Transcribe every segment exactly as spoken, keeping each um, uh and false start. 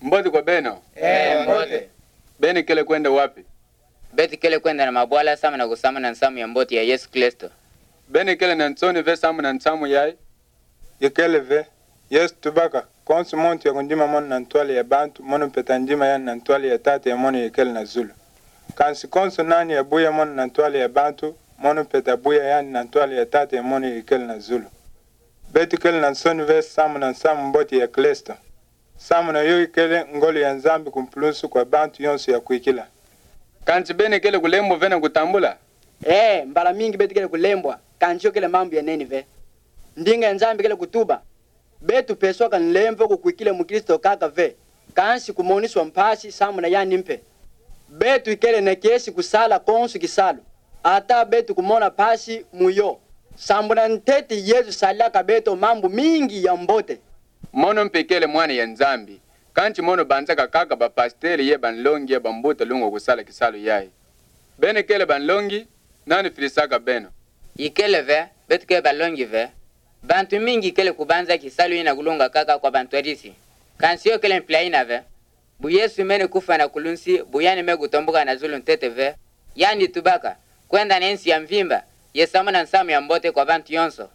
Mbote kwa beno. Ee, mbote. Beno kele kwenda wapi? Beto kele kwenda na mabwala samu na kusamuna nsamu ya mbote ya Yesu Kristo. Beno kele na nsoni ve samu na nsamu yayi? Ikele ve. Yesu tubaka: Konso muntu yakundima mono na ntwala ya bantu, mono mpe tandima yandi na ntwala ya Tata ya mono yekele na zulu. Kansi konso nani yabuya mono na ntwala ya bantu, mono mpe tabuya yandi na ntwala ya Tata ya mono yekele na zulu. Beto kele na nsoni ve samu na nsamu mbote ya Kristo. Samu na yo ikele ngolo ya Nzambi ku mpulunsu kwa bantu yonso yakwikila. Kansi beno kele kulembwa ve na kutambula? Ee, mbala mingi beto kele kulembwa, kansi yo kele mambu ya nene ve. Ndinga ya Nzambi kele kutuba: Beto peswaka nlemvo kukwikila mu Kristo kaka ve, kansi kumoniswa mpasi samu na yandi mpe. Beto ikele na kiese kusala konso kisalu, ata beto kumona mpasi mu yo. Sambwela ntete Yesu salilaka beto mambu mingi ya mbote. Mono mpe kele mwana ya Nzambi, kansi mono banzaka kaka bapasitele ye banlongi ye bambuta lungwa kusala kisalu yayi. Beno kele banlongi, nani filisaka beno? Ikele ve, beto kele banlongi ve. Bantu mingi kele kubanza kisalu ina kulunga kaka kwa bantwadisi. Kansi yo kele mpila ina ve. Bu Yesu mene kufwa na kulunsi, bu yandi me kutomboka na zulu ntete ve, yandi tubaka: Kwenda na nsi ya mvimba, ye samuna nsamu ya mbote kwa bantu yonso.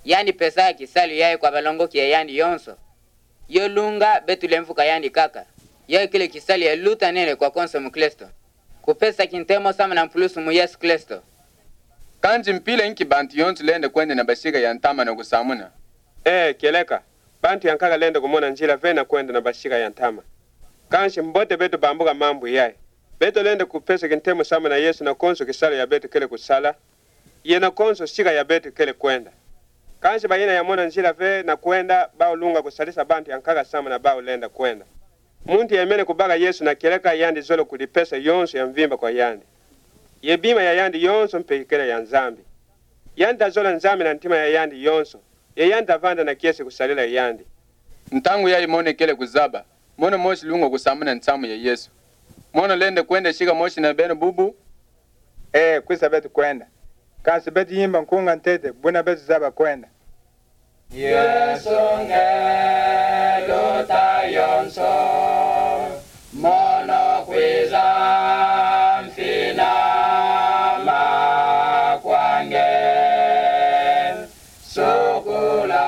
Yandi pesa kisalu yayi kwa balongoki ya yandi yonso. Yo lunga beto lemvuka yandi kaka. Yo ikele kisalu ya luta nene kwa konso mukristo, kupesa kintemo samu na mpulunsu mu Yesu Kristo. Kansi mpila nki bantu yonso lenda kwenda na bashika ya ntama na kusamuna? Ee, kieleka. Bantu yankaka lenda kumona nzila ve na kwenda na bashika ya ntama. Kansi mbote beto bambuka mambu yayi. Beto lenda kupesa kintemo samu na Yesu na konso kisalu ya beto kele kusala, ye na konso shika ya beto kele kwenda. Kansi bayina yamona nzila ve na kwenda, bau lunga kusalisa bantu yankaka samu na bau lenda kwenda. Muntu yemene kubaka Yesu na kieleka, yandi zolo kulipesa yonso ya mvimba kwa yandi. Ye bima ya yandi yonso mpe ikele ya Nzambi. Yandi tazola Nzambi na ntima ya yandi yonso, ye yandi tavanda na kiese kusalila yandi. Ntangu yayi mono ikele kuzaba, mono mosi lungwa kusamuna nsamu ya Yesu. Mono lenda kwenda shika mosi na beno bubu? Ee, kwisa beto kwenda. Kansi beto yimba nkunga ntete, buna beto zaba kwenda. Yesu nge luta yonso, mono kwiza mfinama kwa nge. Sukula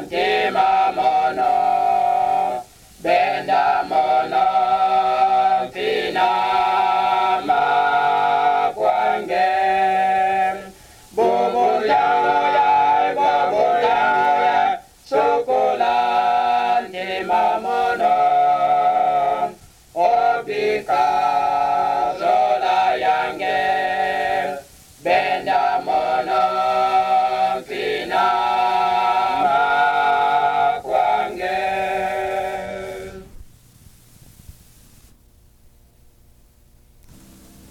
ntima mono, benda mono mfinama kwa nge. Bubu yangu ye, bubu yangu ye, sukula ntima mono, obika